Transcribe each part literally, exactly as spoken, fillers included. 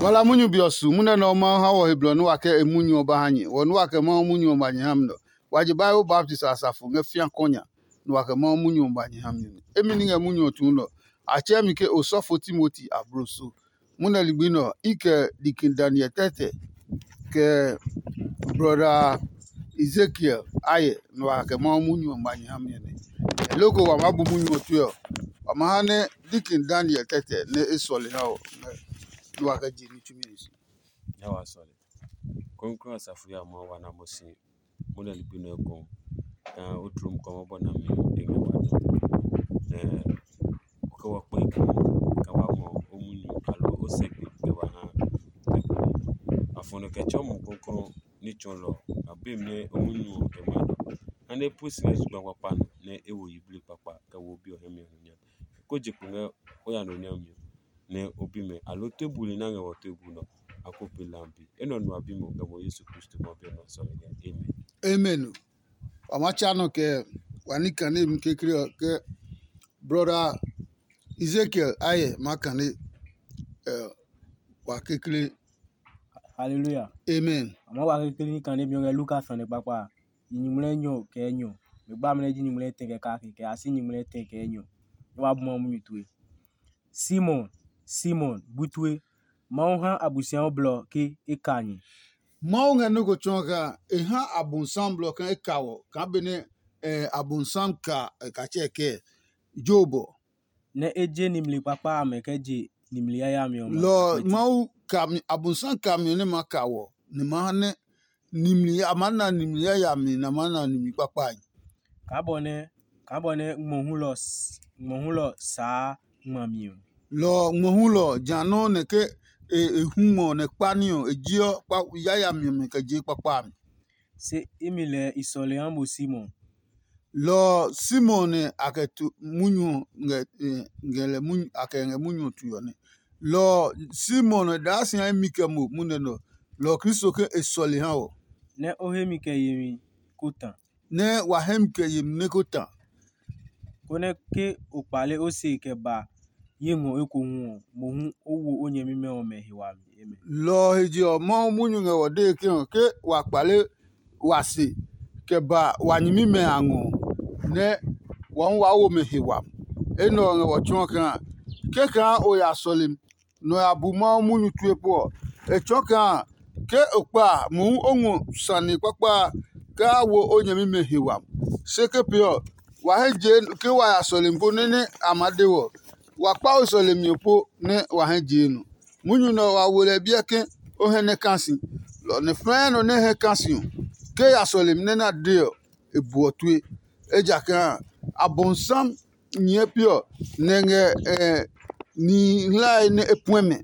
Wala munyu be ɔ su munyu nɛ Mawu ha wɔ he blɔ nɛ wa kɛ e munyu ɔ ba ha nyɛ. Wɔ nɛ wa kɛ Mawu munyu ɔ ba nyɛ ha mi nɛ ɔ, wa je Bible baptist a safo ngɛ fĩa kɔnya, nɛ wa kɛ Mawu munyu ɔ ba nyɛ ha mi nɛ. Emi ní ngɛ munyu ɔ tuu nɛ ɔ, a tsɛɛ mi ke osɔfo Timoti abloso. Munɛ ligbi nɛ ɔ, i kɛ Dikin Daniel tɛtɛ, kɛ brɔda Ezekiel ayɛ, nɛ wa kɛ Mawu munyu ɔ ba nyɛ ha mi nɛ. Loko wa maa bu munyu ɔ tue ɔ, wa ma ha nɛ Dikin Daniel tɛtɛ nɛ e sɔle ha ɔ, nɛ wa kɛ je ní tsumi ɔ si. Nya wa sɔle. Krɔngkrɔng asafo ya Mawu wa na mo si. Mo nɛ ligbi nɛ ko kaa o tlom kɔmɔ bɔ na mi e ngɛ wa nɔ. Nɛ o kɛ wa kpɛ ko ka wa ngɔ o munyu alo o sɛ gbe kɛ wa ha. Afɔnɔ kɛ tsɔ mo krɔngkrɔng ní tsɔlɔ a be mi nɛ o munyu ɔ kɛ ma nɔ. Ha nɛ pu si ngɛ zugba kpakpa nɔ nɛ e wo yiblii kpakpa kɛ wo bi ɔ hɛ mi ɔ nya. Ko je kpo ngɛ o ya nɔ nya mi ɔ. Nɛ o bi mɛ, aloo tue buli nɛ a ngɛ wɔ tue bu nɔ, a ko pe lambi. Enɛ ɔ nu a bi mo kɛ mo Yesu Kristo ma bi ɔ nɔ sɔlemi ɔ. Amen. Amen. Wa ma tsa nɔ kɛ wa ní kane mi kekle ɔ ke brother Ezekiel ayɛ ma kane ɛ wa kekle. Hallelujah. Amen. A ma wa kekle ní kane mi ɔ ngɛ Luka sane kpakpa a. Yi nyumu lɛ nyɔ kɛ enyɔ. Me gba mɛ nɛ ji nyumu lɛ tɛ kɛ kake kɛ a si nyumu lɛ tɛ kɛ enyɔ. Nɛ wa bu ma munyu tue. Simon, Simon, bu tue. Mawu ha Abosiami blɔ ke e ka nyɛ. Mawu ngɛ nɔ́ ko tsɔɔ kaa e ha Abonsam blɔ kaa e ka wɔ kaa benɛ Abonsam ka e ka tsɛ kɛ Job ɔ. Nɛ e je nimli kpakpa amɛ kɛ je nimli yayami ɔmɛ. Lɔ Mawu kami Abonsam kami ɔ nɛ ma ka wɔ nɛ ma ha nɛ nimli a maa na nimli yayami nɛ a maa na nimli kpakpai. Kaa bɔ nɛ kaa bɔ nɛ ngmɔ hulɔ s- ngmɔ hulɔ saa ngmami ɔ. Lɔ ɔ, ngmɔ hulɔ ɔ, ja nɔuu nɛ ke e e hu ngmɔ ɔ nɛ kpa ní ɔ, e jeɔ kpa yayami ɔmɛ kɛ jee kpakpa a mi. Se imi lɛɛ i sɔle ha mo Simon. Lɔ ɔ, Simon nɛ a kɛ tu munyu ɔ ngɛ e ngɛ lɛ munyu a kɛ ngɛ munyu ɔ tue ɔ nɛ. Lɔ ɔ, Simon nɛ daa si ha imi kɛ mo munɛ nɛ ɔ. Lɔ ɔ Kristo ke e sɔle ha wɔ. Nɛ o hemi kɛ yemi ko ta. Nɛ wa hɛ mi kɛ yemi nɛ ko ta. Konɛ ke o kpale o se kɛ ba ye ngɔ ekohu ɔ, mohu o wo o nyɛmimɛ ɔmɛ he wami. Amen. Lɔ ɔ he je ɔ, Mawu munyu ngɛ wɔ dee ke ɔ, ke wa kpale wa se kɛ ba wa nyɛmimɛ a ngɔ ɔ, nɛ wa hu waa wo mɛ he wami. Enɛ ɔ ngɛ wɔ tsɔɔ kaa kɛkaa o ya sɔlemi nɔ ya bu Mawu munyu tue po ɔ, e tsɔɔ kaa ke o kpa a, mohu o ngɔ sane kpakpa a kaa wo o nyɛmimɛ he wami. Se ke pee ɔ, wa hɛ jee ke wa ya sɔlemi po nɛ nɛ a maa de wɔ. Wa kpa o sɔlemi ɔ po nɛ wa hɛ jee nɔ. Munyu nɛ ɔ wa wo lɛ biɛ ke o hɛ nɛ ka si. Lɔ ɔ nɛ fɛɛ nɔ nɛ hɛ ka si ɔ, ke ya sɔlemi nɛ na de ɔ, e buɔ tue. Ejakaa Abonsam nyɛɛ piɔ nɛ ngɛ nihi hlae nɛ e puɛ mɛ,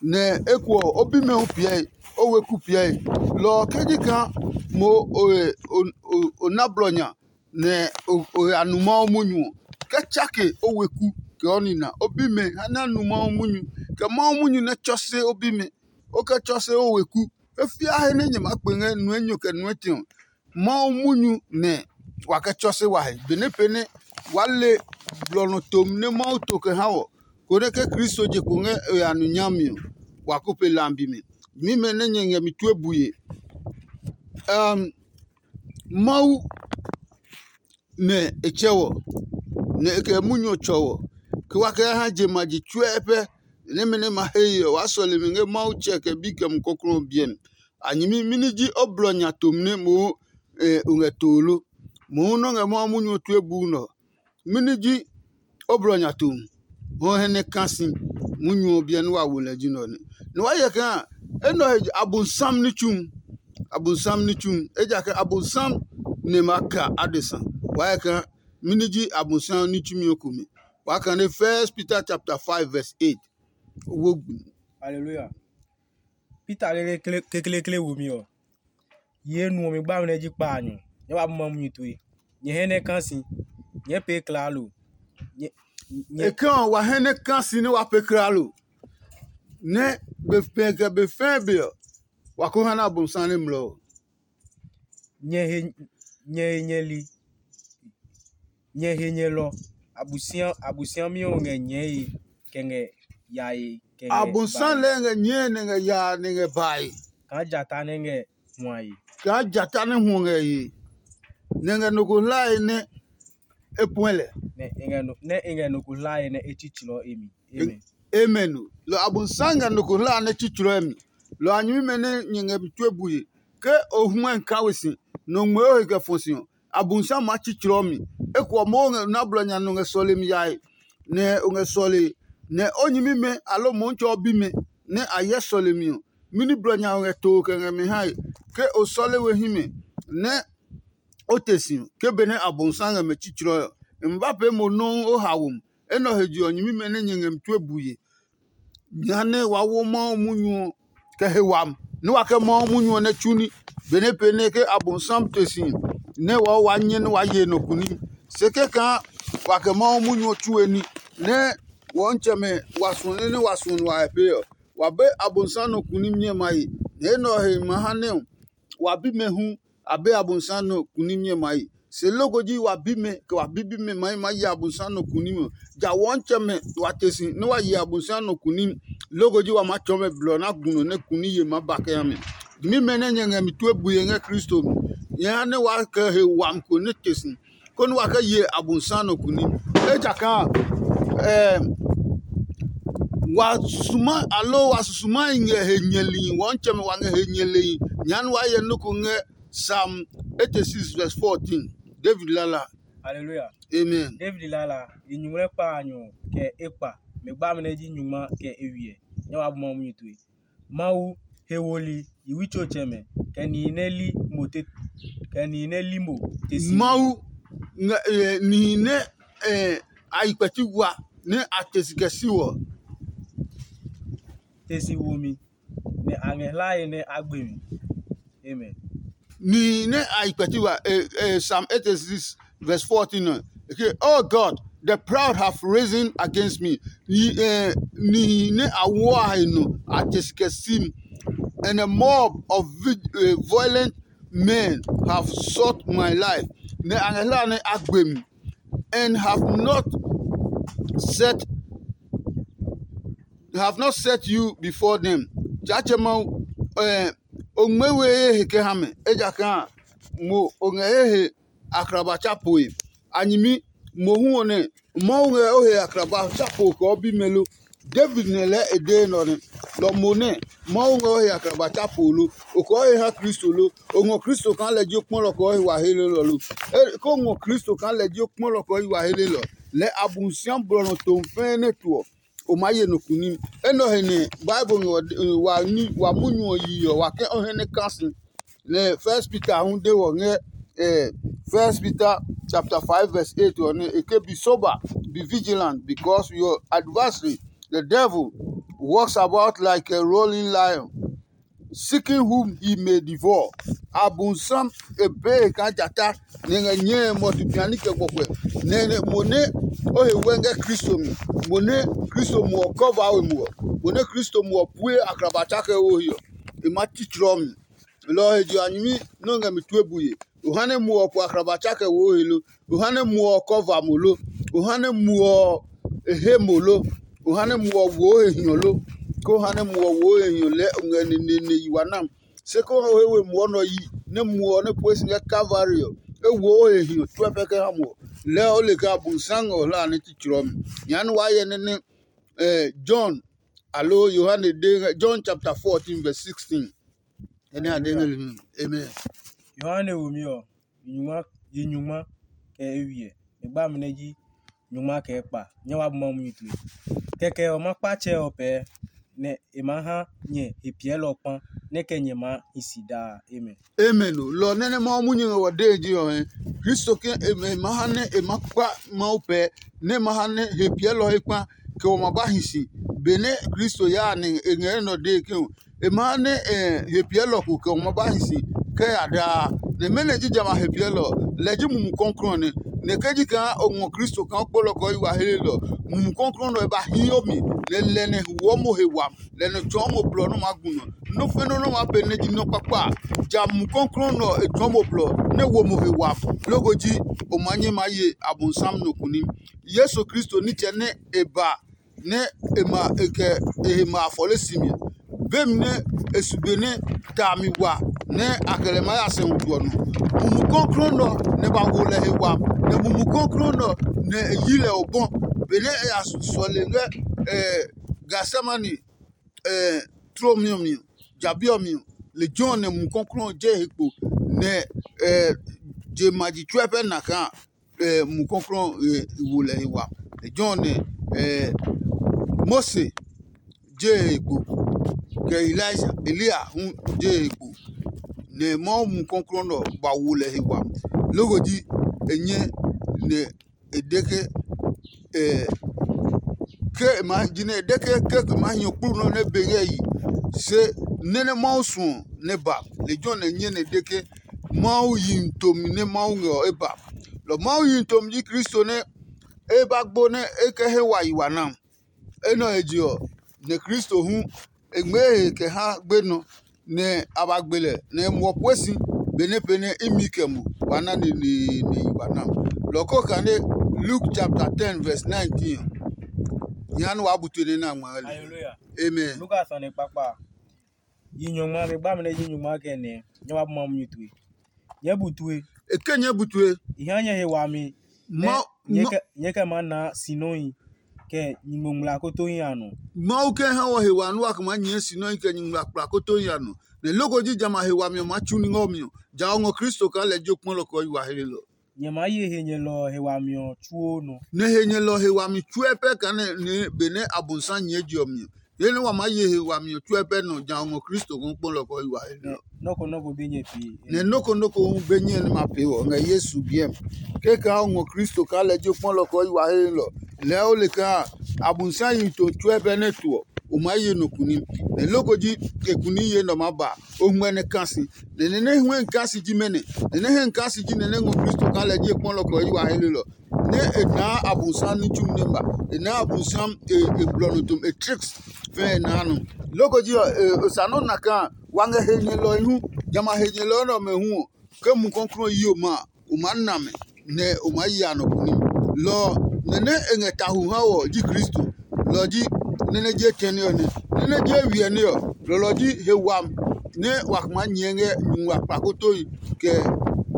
nɛ ekuɔ o bimɛ hu piɛe, o weku piɛe. Lɔ ɔ ke ji kaa mo o na blɔ nya nɛ o ya nu Mawu munyu ɔ, kɛ tsake o weku kɛ o nina, o bimɛ ha nɛ a nu Mawu munyu, kɛ Mawu munyu nɛ tsɔse o bimɛ, o kɛ tsɔse o weku. He fiahe nɛ nyɛ maa kpe ngɛ nue nyo kɛ nue tɛ ɔ, Mawu munyu nɛ wa kɛ tsɔse wa he. Benɛ pee nɛ waa le blɔ nɔ tom nɛ Mawu to kɛ ha wɔ, konɛ ke Kristo je kpo ngɛ e ya nu nyami ɔ, wa ko pe lambi mi. Mimɛ nɛ nyɛ ngɛ mi tue bue. Um, Mawu nɛ e tsɛ wɔ, nɛ e kɛ munyu ɔ tsɔ wɔ, ke wa kɛ ha je ma ji tsuɛ pɛ. Nɛmɛ nɛ ma he ye ɔ, waa sɔle mi ngɛ Mawu tsɛ kɛ bi kɛ mumi kɔklɔɔ ɔ biɛ mi. A nyɛmi mɛni ji o blɔ nya tom nɛ mohu o ngɛ too lo? Mohu nɔ́ ngɛ Mawu munyu ɔ tue buu nɛ ɔ. Mɛni ji o blɔ nya tom? Hɔ hɛ nɛ ka si munyu ɔ biɛ nɛ wa wo lɛ ji nɛ ɔ nɛ. Nɛ wa hyɛ kaa enɛ ɔ he Abonsam ní tsu. Abonsam ní tsu, ejakaa Abonsam nɛ ma ka adesa. Wa hyɛ kaa mɛni ji Abonsam ní tsumi ɔ kome? Waa kane First Peter chapter five verse eight. Wo gbi. Hallelujah. Peter lele kekleekle wumi ɔ, ye nu ɔ mi gba mi nɛ ji kpaanyɔ. Nyɛ ba bu ma munyu tue. Nyɛ hɛ nɛ ka si. Nyɛ pee klaalo. Nyɛ nyɛ Ekɛ ɔ wa hɛ nɛ ka si nɛ wa pee klaalo. Nɛ be fɛɛ kɛ be fɛɛ be ɔ, wa ko ha nɛ Abonsam nɛ mlɔ ɔ. Nyɛ he nyɛ he nyɛli. Nyɛ he nyɛlɔ. Abusua abusuami ɔ ngɛ nyɛɛe kɛ ngɛ yae. kɛ ngɛ Abonsam bae. Lɛɛ ngɛ nyɛɛ nɛ ngɛ yaa nɛ ngɛ bae. Kaa jata nɛ ngɛ huae. Kaa jata nɛ huɔ ngɛ ye. Nɛ ngɛ nɔ ko hlae nɛ e puɛ lɛ. Nɛ e ngɛ nɔ nɛ e ngɛ nɔ ko hlae nɛ e tsitsɔɔ e mi. Amen. Amen. Lɔ Abonsam ngɛ nɔ ko hlaa nɛ tsitsɔɔ e mi. Lɔ a nyɛmimɛ nɛ nyɛ ngɛ mi tue bue. Ke o huɛ ka we si, nɔ ngmɛɛ o he kɛ fɔ si ɔ, Abonsam maa tsitsɔɔ mi. Eko ɔ moo ngɛ na blɔ nya nɔ ngɛ sɔlemi yae, nɛ o ngɛ sɔle, nɛ o nyɛmimɛ aloo Mɔɔtsɛ ɔ bimɛ nɛ a hyɛ sɔlemi ɔ, mɛni blɔ nya o ngɛ too kɛ ngɛ mɛ hae? Ke o sɔle we himɛ nɛ o te si ɔ, ke benɛ Abonsam ngɛ mɛ tsitsɔɔ ɔ, e ma ba pee mo nɔuu o haomi. Enɛ ɔ he je ɔ, nyɛmimɛ nɛ nyɛ ngɛ mi tue bue. Jehanɛ wa wo Mawu munyu ɔ kɛ he wami, nɛ wa kɛ Mawu munyu ɔ nɛ tsu ní. Benɛ pee nɛ ke Abonsam te si nɛ wa wa nyɛ nɛ wa ye nɔ kuni. Se kɛkaa wa kɛ Mawu munyu ɔ tsue ní, nɛ wɔntsɛmɛ wa suɔ nɛ nɛ wa suɔ nua pee ɔ, wa be Abonsam nɔ kuni nyɛmae. Nɛ enɛ ɔ he ma ha nɛ ɔ, wa bimɛ hu a be Abonsam nɔ kuni nyɛmae. Se loko ji wa bimɛ kɛ wa bibimɛ mahi maa ye Abonsam nɔ kuni ɔ. Ja wɔntsɛmɛ wa te si nɛ wa ye Abonsam nɔ kuni. Loko ji wa maa tsɔɔ mɛ blɔ nɛ a gu nɔ nɛ kuni ye maa ba kɛ ha mɛ. Nyɛmimɛ nɛ nyɛ ngɛ mi tue bue ngɛ Kristo mi, nyɛ ha nɛ wa kɛ he wami ko nɛ te si, konɛ wa kɛ ye Abonsam nɔ kuni. Ejakaa wa susuma aloo wa susuma ngɛ he nyɛli wɔntsɛmɛ wa ngɛ he nyɛli. Nya nɛ wa hyɛ nɔ́ ko ngɛ Psalm eighty-six verse fourteen. David lala. Hallelujah. Amen. David lala, i nyuŋmlɛ kpa a nyɔ kɛ e kpa, mɛ gba amɛ nɛ ji nyungma kɛ e wiɛ. Nyɛ wa bu Mawu munyu tue. Mawu, he woli, yi witsɔtsɛmɛ, kɛ nihi nɛ li mo te kɛ nihi nɛ li mo te si. Mawu ngɛ eh, nihi nɛ eh, a yi kpɛti wa nɛ a te si kɛ si wɔ. Te si wo mi, nɛ a ngɛ hlae nɛ a gbe mi. Amen. Nihi nɛ a yi kpɛti wa eh, eh, Psalm eighty-six verse fourteen nɔ. Okay, oh God, the proud have risen against me. Nihi eh, nihi nɛ a woa he nɔ a te si kɛ si mi. And a mob of vi- eh, violent men have sought my life. Nɛ a ngɛ hlae nɛ a gbe mi. And have not set have not set you before them. Tsaatsɛ Mawu, eh, o ngmɛ́ we ye he kɛ ha mɛ, ejakaa mo o ngɛ ye he akraba tsa poe. A nyɛmi mohu ɔ nɛ Mawu ngɛ o he akraba tsa po kɛ o bimɛ lo? David nɛ lɛɛ e dee nɔ nɛ. Lɔ mo nɛ Mawu ngɛ o he akraba tsa po lo? O kɛ o he ha Kristo lo? O ngɔ Kristo kaa lɛ ji o kpɔlɔ kɛ o he wa helelɔ lo? E, ke o ngɔ Kristo kaa lɛ ji o kpɔlɔ kɛ o he wa helelɔ, lɛɛ Abosiami blɔ nɔ tomi fɛɛ nɛ to ɔ, o maa ye nɔ kunim. Enɛ ɔ he nɛ Bible ngɛ wa, wa, wa munyu ɔ yi ɔ, wa kɛ o hɛ nɛ ka si. Nɛ First Peter hu de wɔ ngɛ eh, First Peter chapter five verse eight ɔ nɛ e ke, be sober, be vigilant, because your adversary, the devil, walks about like a roaring lion, seeking whom he may devour. Abonsam e bee kaa jata nɛ ngɛ nyɛe mɔtu piani kɛ gbɔkuɛ. Nɛ nɛ mo nɛ o he wɛ ngɛ Kristo mi, mo nɛ Kristo muɔ kɔva we muɔ, mo nɛ Kristo muɔ pue akraba tsakɛ wo he ɔ, e ma titsrɔ mi. Lɔ ɔ he je ɔ, a nyɛmi nɛ o ngɛ mi tue bue. O ha nɛ muɔ ɔ po akraba tsakɛ wo he lo? O ha nɛ muɔ ɔ kɔva mo lo? O ha nɛ muɔ ɔ e he mo lo? O ha nɛ muɔ ɔ wo he hiɔ lo? Ke o ha nɛ muɔ ɔ wo he hiɔ lɛɛ o ngɛ neneene yi wa nam. Se ke o he we muɔ nɛ ɔ yi, nɛ muɔ ɔ nɛ pue si ngɛ Kalvari ɔ, e wo he hiɔ tsuɛ pɛ kɛ ha mo ɔ, lɛɛ o le kaa Abonsam ngɛ o hlaa nɛ tsitsrɔ mi. Nya nɛ waa hyɛ nɛ nɛ eh, John, aloo Yohane de ngɛ John chapter fourteen verse sixteen. Ɛnɛ a de ngɛ limi. Amen. Yohane womi ɔ, yi nyungma, yi nyungma kɛ e wiɛ. E gba mi nɛ ji nyungma kɛ e kpa. Nyɛ wa bu Mawu munyu tue. Kɛkɛ ɔ, ma kpa tsɛ ɔ pɛɛ, nɛ e maa ha nyɛ he piɛlɔ kpa, nɛ kɛ nyɛ maa hi si daa. Amen. Amen o. Lɔ nɛ nɛ Mawu munyu ngɛ wɔ dee ji ɔ hɛ. Kristo ke e ma ha nɛ e ma kpa Mawu pɛ, nɛ e ma ha nɛ he piɛlɔ he kpa, kɛ wɔ ma ba hi si. Benɛ Kristo yaa nɛ e ngɛ enɛ ɔ dee ke ɔ, e ma ha nɛ he piɛlɔ ko kɛ wɔ ma ba hi si kɛ ya daa. Nɛ mɛnɔ ji jamɛ a he piɛlɔ? Lɛ ji Mumi Klɔuklɔu ɔ nɛ. Nɛ ke ji kaa o ngɔ Kristo kaa o kpolɔ kɛ o yi wa helelɔ, Mumi Klɔuklɔu nɛ ɔ e ba hio mi, nɛ lɛ nɛ huɔ mo he wami. Lɛ nɛ tsɔɔ mo blɔ nɛ o maa gu nɔ. Nɔ́ fɛnɛ nɔ́ maa pee nɛ ji nɔ́ kpakpa a, ja Mumi Klɔuklɔu nɛ ɔ e tsɔɔ mo blɔ nɛ wo mo he wami. Loko ji o maa nyɛ maa ye Abonsam nɔ kunim. Yesu Kristo nitsɛ nɛ e ba nɛ e ma e kɛ e he ma afɔle si mi. Bemi nɛ e su be nɛ ta mi wa nɛ a kɛ lɛ maa ya sɛ wutu ɔ nɔ. Mumi kɔklɔɔ nɛ ɔ nɛ ba wo lɛ he wami, nɛ Mumi kɔklɔɔ nɛ ɔ nɛ e yi lɛ obɔ. Benɛ e ya sɔle ngɛ Getsemane tlomi ɔ mi ɔ, jabi ɔ mi ɔ, lejɛ ɔ nɛ Mumi kɔklɔɔ je e he kpo, nɛ je ma ji tsuɛ pɛ na kaa Mumi kɔklɔɔ e wo lɛ he wa. Lejɛ ɔ nɛ Mose je e he kpo, kɛ Elija, Eliya hu je e he kpo, nɛ Mawu Mumi kɔklɔɔ nɛ ɔ ba wo lɛ he wa. Loko ji e nyɛ nɛ e de ke ke e ma jinɛ e de ke ke e ma hiɔ kplu nɔ nɛ be ngɛ yi. Se nɛ nɛ Mawu suɔ nɛ ba, lejɛ ɔ nɛ nyɛ nɛ e de ke Mawu yi tomi nɛ Mawu ngɛ ɔ e ba. Lɔ Mawu yi tomi ji Kristo nɛ e ba gbo nɛ e kɛ he wa yi wa na. Enɛ ɔ he je ɔ, nɛ Kristo hu e ngmɛɛ e he kɛ ha gbenɔ, nɛ a ba gbe lɛ, nɛ e muɔ pue si benɛ pɛ nɛ imi kɛ mo wa na neneene yi wa na. Lɔ ko kane Luke chapter ten verse nineteen ɔ, nya nɛ waa bu tue nɛ na ngma ngɛ lɛ. Hallelujah. Amen. Luka sane kpakpa. Yi nyɔngma, be gba mi nɛ yi nyɔngma kɛ nɛ nyɛ wa bu ma munyu tue. Nyɛɛ bu tue. E ke nyɛɛ bu tue. I ha nyɛ he wami. Ma nyɛ kɛ nyɛ kɛ ma na sinɔhi kɛ nyingmo ngmlaa kotohi a nɔ. Mawu kɛ ha wɔ he wa nua kɛ maa nyɛɛ sinɔhi kɛ nyingmo kpla kotohi a nɔ. Nɛ loko ji jamɛ a he wami ɔ maa tsu ní ngɛ ɔ mi ɔ, ja o ngɔ Kristo kaa lɛ ji o kpɔlɔ kɛ ɔ yi wa hlelɔ. Nyɛ maa ye he nyɛlɔ ɔ he wami ɔ tsuo nɔ. Nɛ he nyɛlɔ ɔ he wami tsuɛ pɛ kaa nɛ benɛ Abosiami nyɛɛ je ɔ mi ɔ, he nɛ wa maa ye he wami ɔ tsuɛ pɛ nɔ ja o ngɔ Kristo kaa o kpɔlɔ kɛ ɔ yi wa hlelɔ. Nɔ́ ko nɔ́ ko be nyɛ pee. Nɛ nɔ́ ko nɔ́ ko hu be nyɛ nɛ ma pee wɔ ngɛ Yesu biɛ mi. Kɛkaa o ngɔ Kristo kaa lɛ ji o kpɔlɔ kɛ ɔ yi wa hlelɔ, lɛɛ o le kaa Abosiami yi to tsuɛ pɛ nɛ to ɔ, o maa ye nɔ kuni. Nɛ loko ji e kuni ye nɛ ɔ maa ba o ngmɛ nɛ ka si. Nɛ nɛ nɛ huɛ n ka si ji mɛnɔ? Nɛ nɛ hɛ n ka si ji nɛ nɛ ngɔ Kristo kaa lɛ ji e kpɔlɔ kɛ ɔ yi wa hlelɔ. Nɛ e naa Abosiami ní tsumi nɛ ba. E naa Abosiami e blɔ nɔ tom e tricks fɛɛ e naa nɔ. Loko ji ɔ, e sa nɔ́ na kaa wa ngɛ he nyɛlɔhi hu. Jamɛ a he nyɛlɔ nɛ ɔmɛ hu ɔ, ke Mumi Klɔuklɔu yi o ma a, o maa na mɛ, nɛ o maa ya nɔ kuni. Lɔ ɔ, nɛ nɛ e ngɛ tahu ha wɔ ji Kristo. Lɔ ɔ ji nɛ nɛ je tɛne ɔ nɛ. Nɛ nɛ je wiɛ nɛ ɔ, lɔlɔ ji he wami nɛ wa maa nyɛɛ ngɛ nyumu akpa kotohi kɛ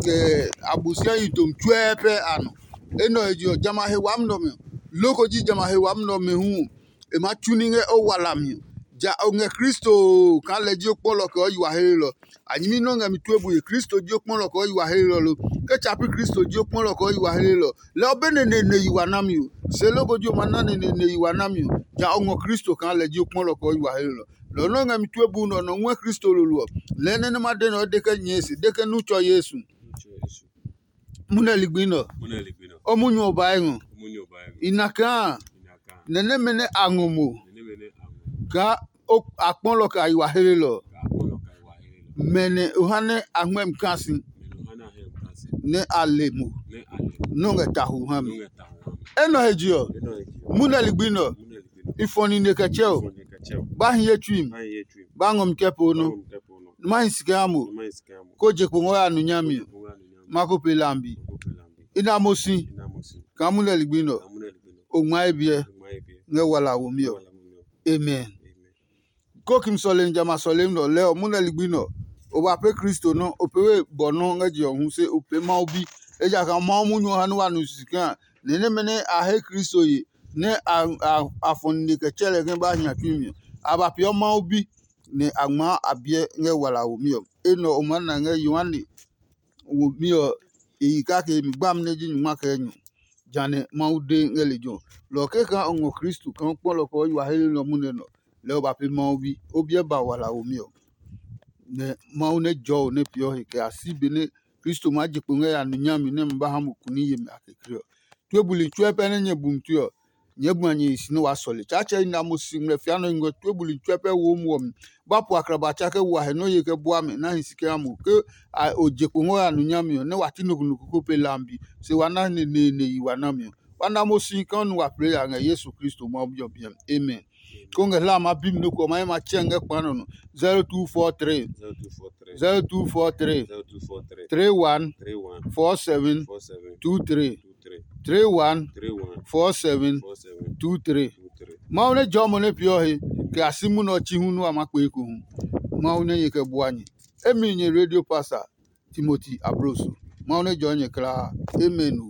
kɛ Abosiami yi tomi tsuɛɛ pɛ a nɔ. Enɛ ɔ he je ɔ, jamɛ a he wami nɛ ɔmɛ, loko ji jamɛ a he wami nɛ ɔmɛ hu ɔ, e maa tsu ní ngɛ o wala mi ɔ. Ja o ngɛ Kristo kaa lɛ ji o kpɔlɔ kɛ ɔ yi wa hlelɔ. A nyɛmi nɛ o ngɛ mi tue bue, Kristo ji o kpɔlɔ kɛ ɔ yi wa hlelɔ lo? Ke tsa pi Kristo ji o kpɔlɔ kɛ ɔ yi wa hlelɔ, lɛ ɔ be neneene yi wa nami ɔ. Se loko ji o ma na neneene yi wa nami ɔ, ja o ngɔ Kristo kaa lɛ ji o kpɔlɔ kɛ ɔ yi wa hlelɔ. Lɔ ɔ nɛ o ngɛ mi tue buu nɛ ɔ nɔ nguɛ Kristo lolo ɔ, lɛɛ nɛ nɛ ma de nɛ ɔ de kɛ nyɛɛ se, de ke nu tsɔ Yesu. Munɛ ligbi nɛ ɔ, o munyu ɔ ba ngɔ. I na kaa nɛ nɛmɛ nɛ a ngɔ mo kaa a kpɔlɔ kɛ a yi wa hlelɔ ɔ, mɛ nɛ o ha nɛ a ngmɛ́ mi kaa si nɛ a le mo nɔ́ ngɛ tahu ha mi. Enɛ ɔ he je ɔ, munɛ ligbi nɛ ɔ, i fɔ nine kɛ tsɛ o, ba hi ye tsui mi, ba ngɔ mi kɛ po nɔ, ma hi si kɛ ha mo, ko je kpo ngɔ ya nu nyami ɔ, ma ko pe lambi. I na mo si kaa munɛ ligbi nɛ ɔ, o ngma ye biɛ ngɛ wala womi ɔ. Amen. Kokim sɔlemi jamɛ a sɔlemi nɛ ɔ lɛɛ ɔ, munɛ ligbi nɛ ɔ, o ba pee Kristo nɔ́, o pee we bɔ nɔ́ ngɛ je ɔ hu, se o pee Mawu bi. Ejakaa Mawu munyu ɔ ha nɛ wa nu sisi kaa nɛ nɛmɛ nɛ a he Kristo ye nɛ a fɔ nine kɛ tsɛ lɛ ke ba hia tsui mi ɔ, a ba peeɔ Mawu bi, nɛ a ngmaa a biɛ ngɛ wala womi ɔ. Enɛ ɔ o maa na ngɛ Yohane womi ɔ e yi kake mi gbami nɛ ji nyungma kɛ enyɔ, jã nɛ Mawu de ngɛ lejɛ ɔ. Lɔ ɔ kɛkaa o ngɔ Kristo kaa o kpɔlɔ kɛ o yi wa he nɛ ɔ munɛ nɛ ɔ, lɛɛ o ba pee Mawu bi, o biɛ ba wala womi ɔ. Nɛ Mawu nɛ jɔɔ o nɛ peeɔ he kɛ ya si benɛ Kristo maa je kpo ngɛ ya nu nyami nɛ ma ba ha mo kuni yemi a kekle ɔ. Tue buli tsuɛ pɛ nɛ nyɛ bu mi tue ɔ, nyɛɛ bu a nyɛ he si nɛ waa sɔle. Tsaatsɛ i na mo si ngmlɛ fia nɔ i ngɔ tue buli tsuɛ pɛ wo muɔ mi. Ba pu akraba tsa kɛ wo a he nɔ́ ye kɛ bua mɛ na hi si kɛ ha mo. Ke o je kpo ngɔ ya nu nyami ɔ, nɛ wa ti nɔ ko nɔ ko ko pe lambi, se wa na neneene yi wa nami ɔ. Wa na mo si kaa nu wa plɛ ya ngɛ Yesu Kristo Mawu Bi ɔ biɛ mi. Amen. Ko ngɛ hla ma bi mi nɔ ko ɔ, ma ye ma tsɛ ngɛ kpa nɔ nɔ. zero two four three zero two four three zero two four three zero two four three three one three one four seven four seven two three two three three one three one four seven four seven two three two three. Mawu nɛ jɔɔ mo nɛ peeɔ he, kɛ a si munɛ ɔ chi hu nú a maa kpee ekohu. Mawu nɛ nyɛ kɛ bua nyɛ. Emi nyɛ Radio Pastor Timoti Abroso. Mawu nɛ jɔɔ nyɛ kulaa. Amen o.